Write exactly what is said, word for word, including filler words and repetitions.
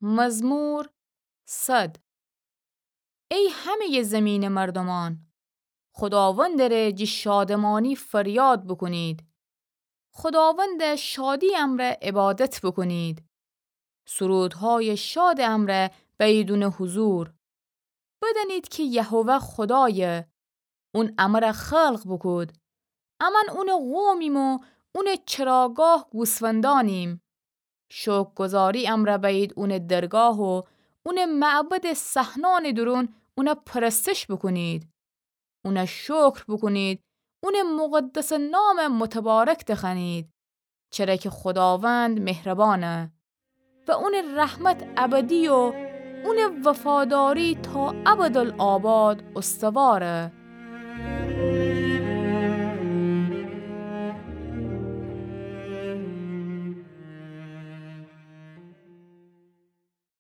مزمور صد. ای همه‌یٚ زمینٚ مردومأن، خوداوندٚ ره جٚه شادمأنی فریاد بوکونید. خوداوندَ شادی امرأ عبادت بوکونید. سرودهایٚ شادٚ امرأ بأیید اونٚ حضور. بدأنید کی یهوه خودایه. اون امرأ خلق بوکود. امأن اونٚ قومیم و اونٚ چراگاه گوسفندأنیم. شوکرگوزاری امرأ بأیید اونٚ درگاه و اونٚ معبدٚ صحنأنٚ دورون اونَ پرستش بوکونید. اونَ شکر بوکونید، اونٚ مقدسٚ نامَ متبارک دخوأنید، چره کی خوداوند مهربانه و اونٚ رحمت ابدی و اونٚ وفاداری تا ابدالآباد استواره.